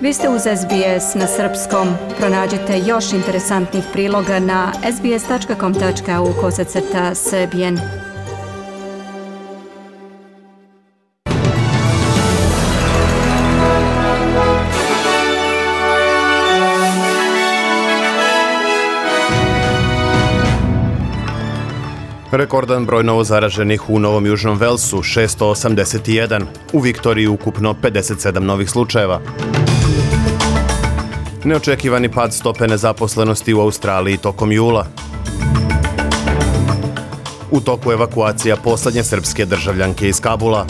Vi ste uz SBS na srpskom. Pronađite još interesantnih priloga na sbs.com.au/srbijen. Rekordan broj novozaraženih u Novom Južnom Velsu, 681. U Viktoriji ukupno 57 novih slučajeva. Neočekivani pad stope nezaposlenosti u Australiji tokom jula. U toku evakuacija poslednje srpske državljanke iz Kabula.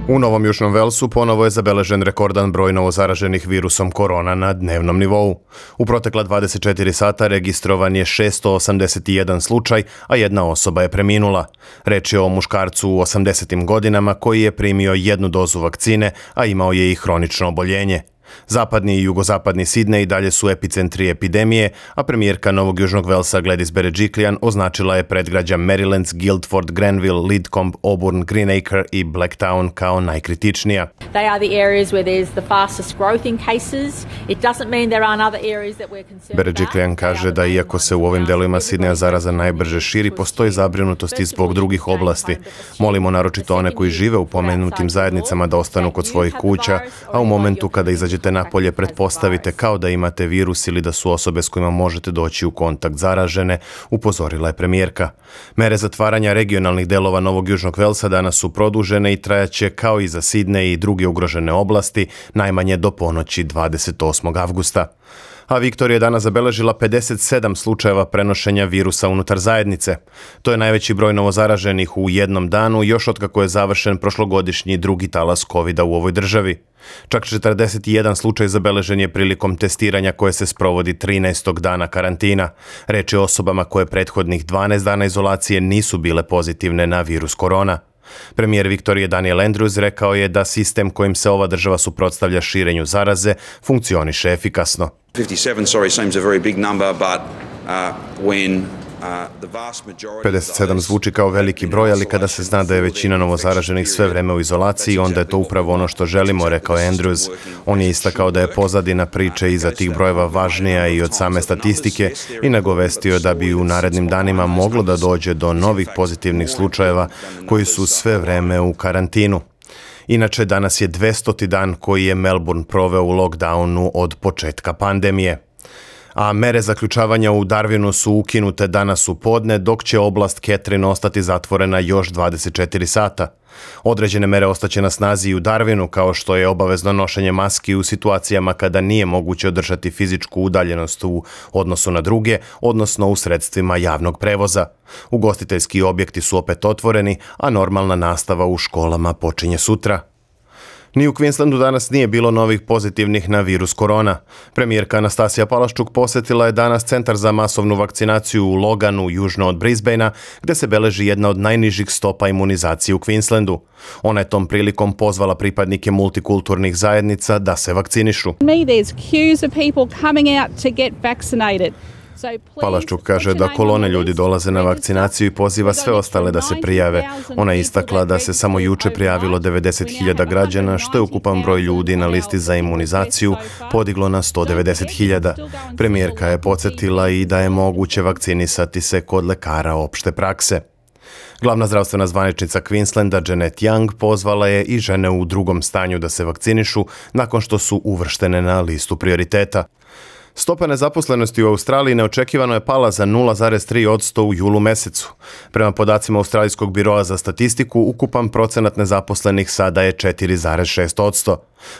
U Novom Južnom Velsu ponovo je zabeležen rekordan broj novozaraženih virusom korona na dnevnom nivou. U protekla 24 sata registrovan je 681 slučaj, a jedna osoba je preminula. Reč je o muškarcu u 80. godinama koji je primio jednu dozu vakcine, a imao je i hronično oboljenje. Zapadni i jugozapadni Sidney dalje su epicentri epidemije, a premijerka Novog Južnog Velsa Gladys Berejiklian označila je predgrađa Marylands, Guildford, Granville, Lidcombe, Auburn, Greenacre i Blacktown kao najkritičnija. They are the areas where there's the fastest growth in cases. It doesn't mean there aren't other areas that we're concerned about. Berejiklian kaže da iako se u ovim delovima Sidneja zaraza najbrže širi, postoji zabrinutost i zbog drugih oblasti. Molimo naročito one koji žive u pomenutim zajednicama da ostanu kod svojih kuća, a u momentu kada izađete napolje pretpostavite kao da imate virus ili da su osobe s kojima možete doći u kontakt zaražene, upozorila je premijerka. Mere zatvaranja regionalnih delova Novog Južnog Velsa danas su produžene i trajaće kao i za Sidney i druge ugrožene oblasti, najmanje do ponoći 28. avgusta. A Viktorija je danas zabeležila 57 slučajeva prenošenja virusa unutar zajednice. To je najveći broj novozaraženih u jednom danu još otkako je završen prošlogodišnji drugi talas COVID-a u ovoj državi. Čak 41 slučaj zabeležen je prilikom testiranja koje se sprovodi 13. dana karantina. Reč je o osobama koje prethodnih 12 dana izolacije nisu bile pozitivne na virus korona. Premijer Viktorije Daniel Andrews rekao je da sistem kojim se ova država suprotstavlja širenju zaraze funkcioniše efikasno. 57 zvuči kao veliki broj, ali kada se zna da je većina novozaraženih sve vreme u izolaciji, onda je to upravo ono što želimo, rekao je Andrews. On je istakao da je pozadina priče iza tih brojeva važnija i od same statistike i nagovestio da bi u narednim danima moglo da dođe do novih pozitivnih slučajeva koji su sve vreme u karantinu. Inače, danas je 200. dan koji je Melbourne proveo u lockdownu od početka pandemije. A mere zaključavanja u Darwinu su ukinute danas u podne, dok će oblast Catherine ostati zatvorena još 24 sata. Određene mere ostaće na snazi i u Darwinu, kao što je obavezno nošenje maski u situacijama kada nije moguće održati fizičku udaljenost u odnosu na druge, odnosno u sredstvima javnog prevoza. Ugostiteljski objekti su opet otvoreni, a normalna nastava u školama počinje sutra. Ni u Queenslandu danas nije bilo novih pozitivnih na virus korona. Premijerka Anastasija Palaszczuk posjetila je danas centar za masovnu vakcinaciju u Loganu, južno od Brisbanea, gde se beleži jedna od najnižih stopa imunizacije u Queenslandu. Ona je tom prilikom pozvala pripadnike multikulturnih zajednica da se vakcinišu. Palaszczuk kaže da kolone ljudi dolaze na vakcinaciju i poziva sve ostale da se prijave. Ona je istakla da se samo juče prijavilo 90.000 građana, što je ukupan broj ljudi na listi za imunizaciju podiglo na 190.000. Premijerka je podsjetila i da je moguće vakcinisati se kod lekara opšte prakse. Glavna zdravstvena zvaničnica Queenslanda Janet Young pozvala je i žene u drugom stanju da se vakcinišu nakon što su uvrštene na listu prioriteta. Stopa nezaposlenosti u Australiji neočekivano je pala za 0,3% u julu mesecu. Prema podacima Australijskog biroa za statistiku, ukupan procenat nezaposlenih sada je 4,6%.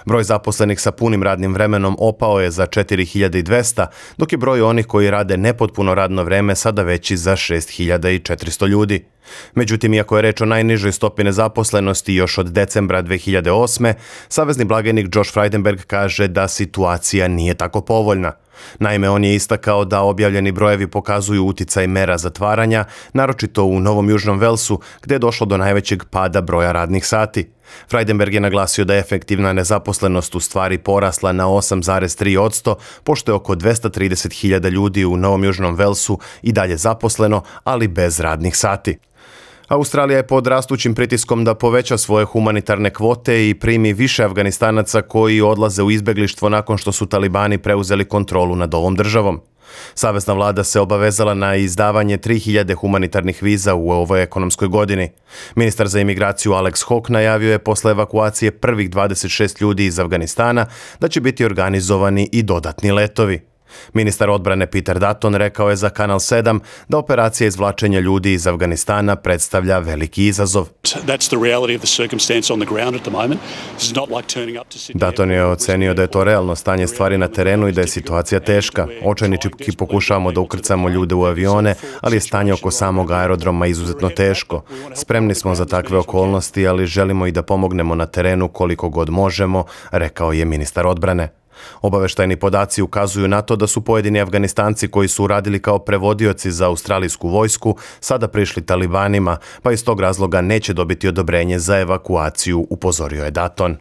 Broj zaposlenih sa punim radnim vremenom opao je za 4.200, dok je broj onih koji rade nepotpuno radno vreme sada veći za 6.400 ljudi. Međutim, iako je reč o najnižoj stopi nezaposlenosti još od decembra 2008. Savezni blagajnik Josh Frydenberg kaže da situacija nije tako povoljna. Naime, on je istakao da objavljeni brojevi pokazuju uticaj mera zatvaranja, naročito u Novom Južnom Velsu, gdje je došlo do najvećeg pada broja radnih sati. Frydenberg je naglasio da je efektivna nezaposlenost u stvari porasla na 8,3%, pošto je oko 230.000 ljudi u Novom Južnom Velsu i dalje zaposleno, ali bez radnih sati. Australija je pod rastućim pritiskom da poveća svoje humanitarne kvote i primi više Afganistanaca koji odlaze u izbjeglištvo nakon što su talibani preuzeli kontrolu nad ovom državom. Savezna vlada se obavezala na izdavanje 3000 humanitarnih viza u ovoj ekonomskoj godini. Ministar za imigraciju Alex Hawke najavio je posle evakuacije prvih 26 ljudi iz Afganistana da će biti organizovani i dodatni letovi. Ministar odbrane Peter Dutton rekao je za Kanal 7 da operacija izvlačenja ljudi iz Afganistana predstavlja veliki izazov. Dutton je ocenio da je to realno stanje stvari na terenu i da je situacija teška. Očajnički pokušavamo da ukrcamo ljude u avione, ali je stanje oko samog aerodroma izuzetno teško. Spremni smo za takve okolnosti, ali želimo i da pomognemo na terenu koliko god možemo, rekao je ministar odbrane. Obaveštajni podaci ukazuju na to da su pojedini Afganistanci koji su radili kao prevodioci za australijsku vojsku sada prišli talibanima, pa iz tog razloga neće dobiti odobrenje za evakuaciju, upozorio je Dutton.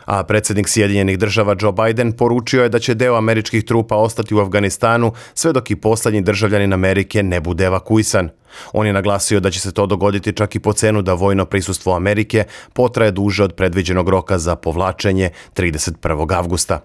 A predsjednik Sjedinjenih država Joe Biden poručio je da će deo američkih trupa ostati u Afganistanu sve dok i posljednji državljanin Amerike ne bude evakuisan. On je naglasio da će se to dogoditi čak i po cenu da vojno prisustvo Amerike potraje duže od predviđenog roka za povlačenje 31. avgusta.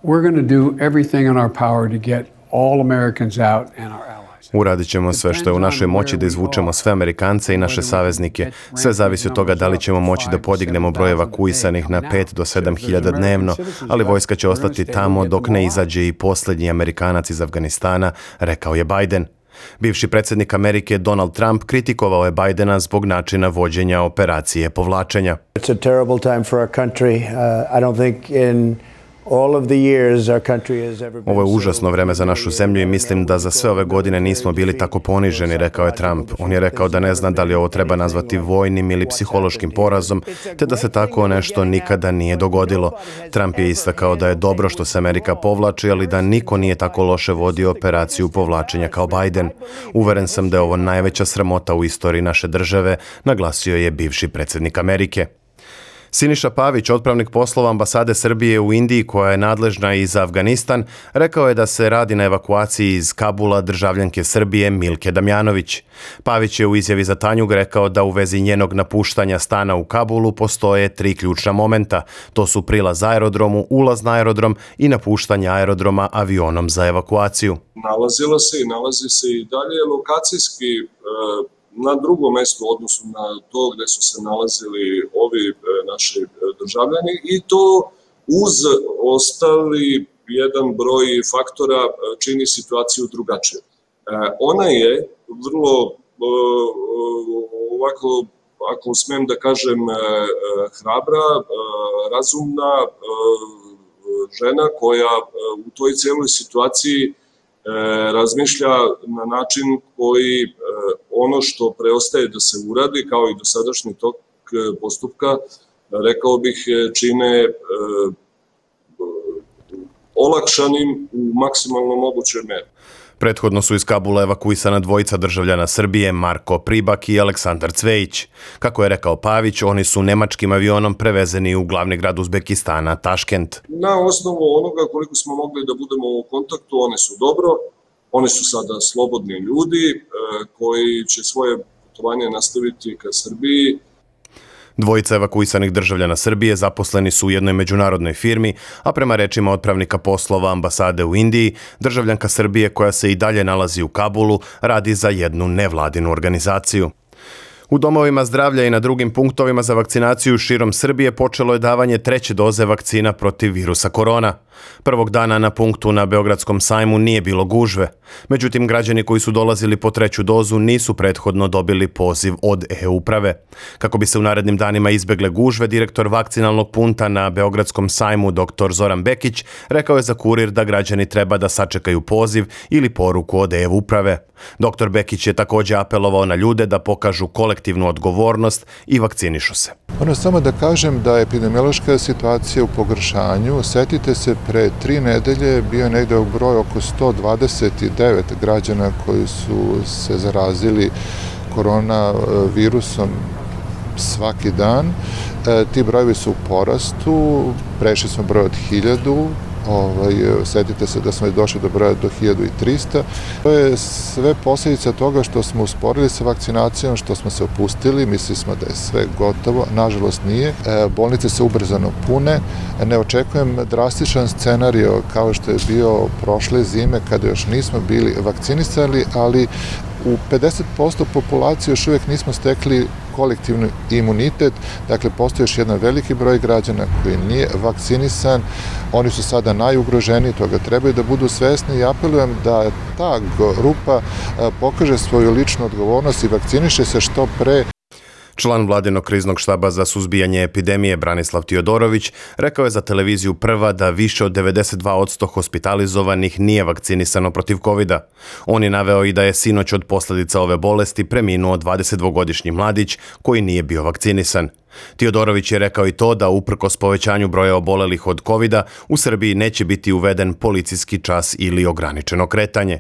Uradit ćemo sve što je u našoj moći da izvučemo sve Amerikance i naše saveznike. Sve zavisi od toga da li ćemo moći da podignemo broj evakuisanih na 5 do 7 hiljada dnevno, ali vojska će ostati tamo dok ne izađe i posljednji Amerikanac iz Afganistana, rekao je Biden. Bivši predsjednik Amerike Donald Trump kritikovao je Bidena zbog načina vođenja operacije povlačenja. It's a terrible time for our country. I don't think in Ovo je užasno vreme za našu zemlju i mislim da za sve ove godine nismo bili tako poniženi, rekao je Trump. On je rekao da ne zna da li ovo treba nazvati vojnim ili psihološkim porazom, te da se tako nešto nikada nije dogodilo. Trump je istakao da je dobro što se Amerika povlači, ali da niko nije tako loše vodio operaciju povlačenja kao Biden. Uveren sam da je ovo najveća sramota u istoriji naše države, naglasio je bivši predsjednik Amerike. Siniša Pavić, otpravnik poslova ambasade Srbije u Indiji koja je nadležna i za Afganistan, rekao je da se radi na evakuaciji iz Kabula državljanke Srbije Milke Damjanović. Pavić je u izjavi za Tanjug rekao da u vezi njenog napuštanja stana u Kabulu postoje 3 ključna momenta. To su prilaz aerodromu, ulaz na aerodrom i napuštanje aerodroma avionom za evakuaciju. Nalazila se i nalazi se i dalje lokacijski na drugom mjestu u odnosu na to gdje su se nalazili ovi naši državljani i to uz ostali jedan broj faktora čini situaciju drugačiju. Ona je vrlo ovako, ako smijem da kažem, hrabra, razumna žena koja u toj cijeloj situaciji razmišlja na način koji ono što preostaje da se uradi, kao i dosadašnji tok postupka, rekao bih, čine olakšanim u maksimalno mogućoj meri. Prethodno su iz Kabula evakuisana dvojica državljana Srbije, Marko Pribak i Aleksandar Cvejić. Kako je rekao Pavić, oni su nemačkim avionom prevezeni u glavni grad Uzbekistana, Taškent. Na osnovu onoga koliko smo mogli da budemo u kontaktu, one su dobro, oni su sada slobodni ljudi koji će svoje putovanje nastaviti ka Srbiji. Dvojica evakuisanih državljana Srbije zaposleni su u jednoj međunarodnoj firmi, a prema rečima otpravnika poslova ambasade u Indiji, državljanka Srbije koja se i dalje nalazi u Kabulu radi za jednu nevladinu organizaciju. U domovima zdravlja i na drugim punktovima za vakcinaciju širom Srbije počelo je davanje 3. doze vakcina protiv virusa korona. Prvog dana na punktu na Beogradskom sajmu nije bilo gužve. Međutim, građani koji su dolazili po 3. dozu nisu prethodno dobili poziv od e-uprave. Kako bi se u narednim danima izbegle gužve, direktor vakcinalnog punta na Beogradskom sajmu dr. Zoran Bekić rekao je za Kurir da građani treba da sačekaju poziv ili poruku od e-uprave. Dr. Bekić je također apelovao na ljude da pokažu kolektivnu odgovornost i vakcinišu se. Samo da kažem da je epidemiološka situacija u pogoršanju. Sjetite se pre 3 nedelje bio je negde u broju oko 129 građana koji su se zarazili koronavirusom svaki dan. Ti brojevi su u porastu, prešli smo broj od 1000, setite se da smo došli do broja do 1300. To je sve posljedica toga što smo usporili sa vakcinacijom, što smo se opustili, mislili smo da je sve gotovo, nažalost nije. Bolnice se ubrzano pune, ne očekujem drastičan scenario kao što je bio prošle zime kada još nismo bili vakcinisali, ali u 50% populacije još uvijek nismo stekli kolektivni imunitet, dakle postoji još jedan veliki broj građana koji nije vakcinisan, oni su sada najugroženiji, toga trebaju da budu svesni i apelujem da ta grupa pokaže svoju ličnu odgovornost i vakciniše se što pre. Član vladinog kriznog štaba za suzbijanje epidemije Branislav Tiodorović rekao je za televiziju Prva da više od 92% hospitalizovanih nije vakcinisano protiv covida. On je naveo i da je sinoć od posljedica ove bolesti preminuo 22-godišnji mladić koji nije bio vakcinisan. Tiodorović je rekao i to da uprkos povećanju broja obolelih od covida u Srbiji neće biti uveden policijski čas ili ograničeno kretanje.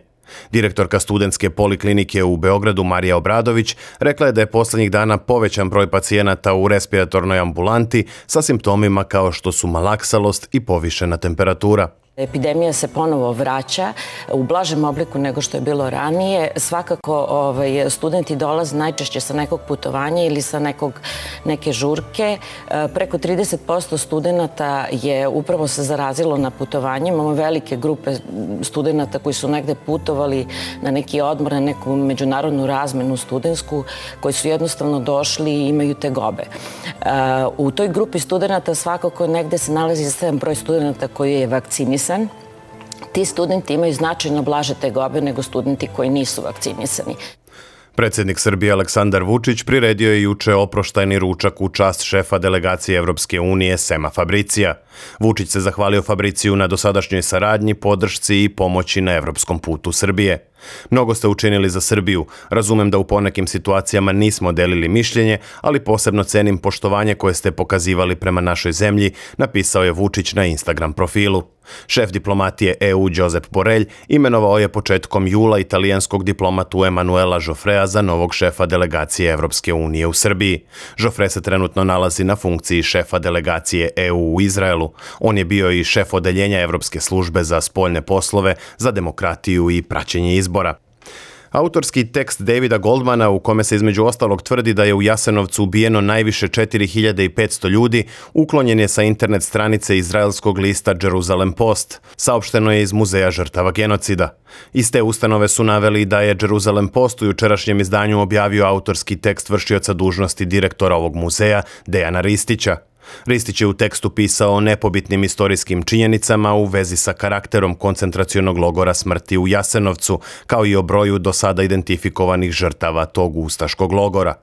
Direktorka studentske poliklinike u Beogradu Marija Obradović rekla je da je posljednjih dana povećan broj pacijenata u respiratornoj ambulanti sa simptomima kao što su malaksalost i povišena temperatura. Epidemija se ponovo vraća u blažem obliku nego što je bilo ranije. Svakako studenti dolaze najčešće sa nekog putovanja ili sa neke žurke. Preko 30% studenta je upravo se zarazilo na putovanjima. Imamo velike grupe studenta koji su negde putovali na neki odmor, na neku međunarodnu razmenu studentsku, koji su jednostavno došli i imaju tegobe. U toj grupi studenta svakako negde se nalazi jedan broj studenta koji je vakcinisan. Ti studenti imaju značajno blaže tegobe nego studenti koji nisu vakcinisani. Predsjednik Srbije Aleksandar Vučić priredio je juče oproštajni ručak u čast šefa delegacije Evropske unije Sema Fabricija. Vučić se zahvalio Fabriciju na dosadašnjoj saradnji, podršci i pomoći na evropskom putu Srbije. Mnogo ste učinili za Srbiju. Razumem da u ponekim situacijama nismo delili mišljenje, ali posebno cenim poštovanje koje ste pokazivali prema našoj zemlji, napisao je Vučić na Instagram profilu. Šef diplomatije EU Josep Borrell imenovao je početkom jula italijanskog diplomatu Emanuela Joffrea za novog šefa delegacije Evropske unije u Srbiji. Joffre se trenutno nalazi na funkciji šefa delegacije EU u Izraelu. On je bio i šef odeljenja Evropske službe za spoljne poslove, za demokratiju i praćenje izbora. Autorski tekst Davida Goldmana u kome se između ostalog tvrdi da je u Jasenovcu ubijeno najviše 4500 ljudi, uklonjen je sa internet stranice izraelskog lista Jerusalem Post. Saopšteno je iz Muzeja žrtava genocida. Iz te ustanove su naveli da je Jerusalem Post u jučerašnjem izdanju objavio autorski tekst vršioca dužnosti direktora ovog muzeja, Dejana Ristića. Ristić je u tekstu pisao o nepobitnim istorijskim činjenicama u vezi sa karakterom koncentracionog logora smrti u Jasenovcu, kao i o broju do sada identifikovanih žrtava tog ustaškog logora.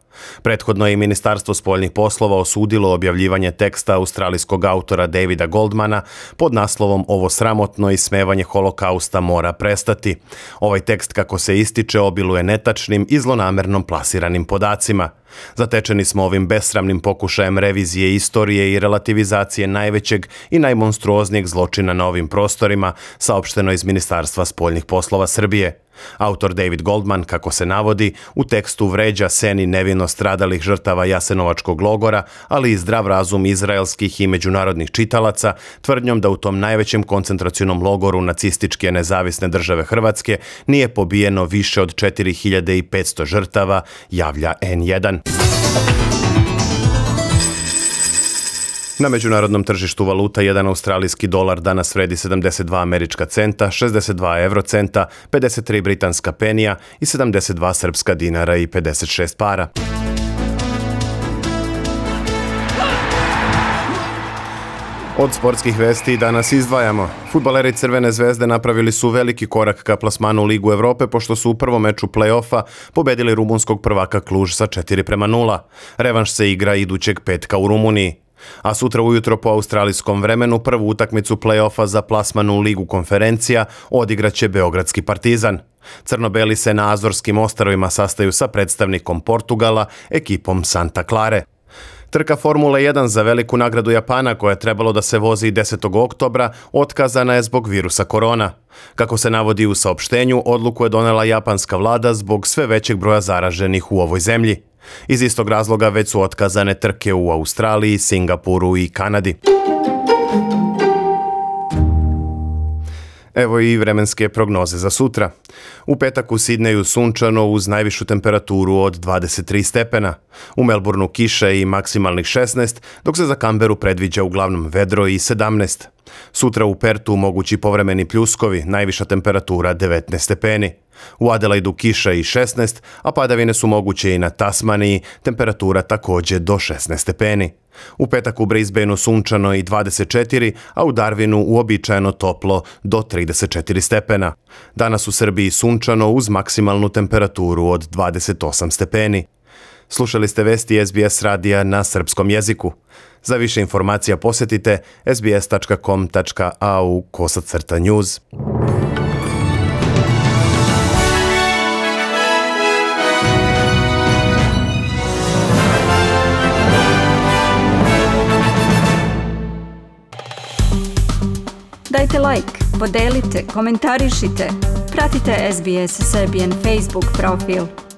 Prethodno je i Ministarstvo spoljnih poslova osudilo objavljivanje teksta australijskog autora Davida Goldmana pod naslovom "Ovo sramotno ismevanje holokausta mora prestati". Ovaj tekst, kako se ističe, obiluje netačnim i zlonamernom plasiranim podacima. Zatečeni smo ovim besramnim pokušajem revizije istorije i relativizacije najvećeg i najmonstruoznijeg zločina na ovim prostorima, saopšteno iz Ministarstva spoljnih poslova Srbije. Autor David Goldman, kako se navodi, u tekstu vređa sen i nevino stradalih žrtava Jasenovačkog logora, ali i zdrav razum izraelskih i međunarodnih čitalaca, tvrdnjom da u tom najvećem koncentracionom logoru nacističke nezavisne države Hrvatske nije pobijeno više od 4500 žrtava, javlja N1. Na međunarodnom tržištu valuta jedan australijski dolar danas vredi 72 američka centa, 62 eurocenta, 53 britanska penija i 72 srpska dinara i 56 para. Od sportskih vesti danas izdvajamo. Fudbaleri Crvene zvezde napravili su veliki korak ka plasmanu u Ligu Evrope pošto su u prvom meču play-offa pobedili rumunskog prvaka Kluž sa 4:0. Revanš se igra idućeg petka u Rumuniji. A sutra ujutro po australijskom vremenu prvu utakmicu play-offa za plasman u Ligu konferencija odigraće Beogradski Partizan. Crno-beli se na Azorskim ostrvima sastaju sa predstavnikom Portugala, ekipom Santa Clare. Trka Formule 1 za veliku nagradu Japana, koja je trebalo da se vozi 10. oktobra, otkazana je zbog virusa korona. Kako se navodi u saopštenju, odluku je donela japanska vlada zbog sve većeg broja zaraženih u ovoj zemlji. Iz istog razloga već su otkazane trke u Australiji, Singapuru i Kanadi. Evo i vremenske prognoze za sutra. U petak u Sidneju sunčano uz najvišu temperaturu od 23 stepena. U Melbourneu kiše i maksimalnih 16, dok se za Kamberu predviđa uglavnom vedro i 17. Sutra u Pertu mogući povremeni pljuskovi, najviša temperatura 19 stepeni. U Adelaidu kiša i 16, a padavine su moguće i na Tasmaniji, temperatura također do 16 stepeni. U petak u Brisbaneu sunčano i 24, a u Darwinu uobičajeno toplo do 34 stepena. Danas u Srbiji sunčano uz maksimalnu temperaturu od 28 stepeni. Slušali ste vesti SBS radija na srpskom jeziku. Za više informacija posjetite sbs.com.au/news. Dajte like, podelite, komentarišite. Pratite SBS Serbian Facebook profil.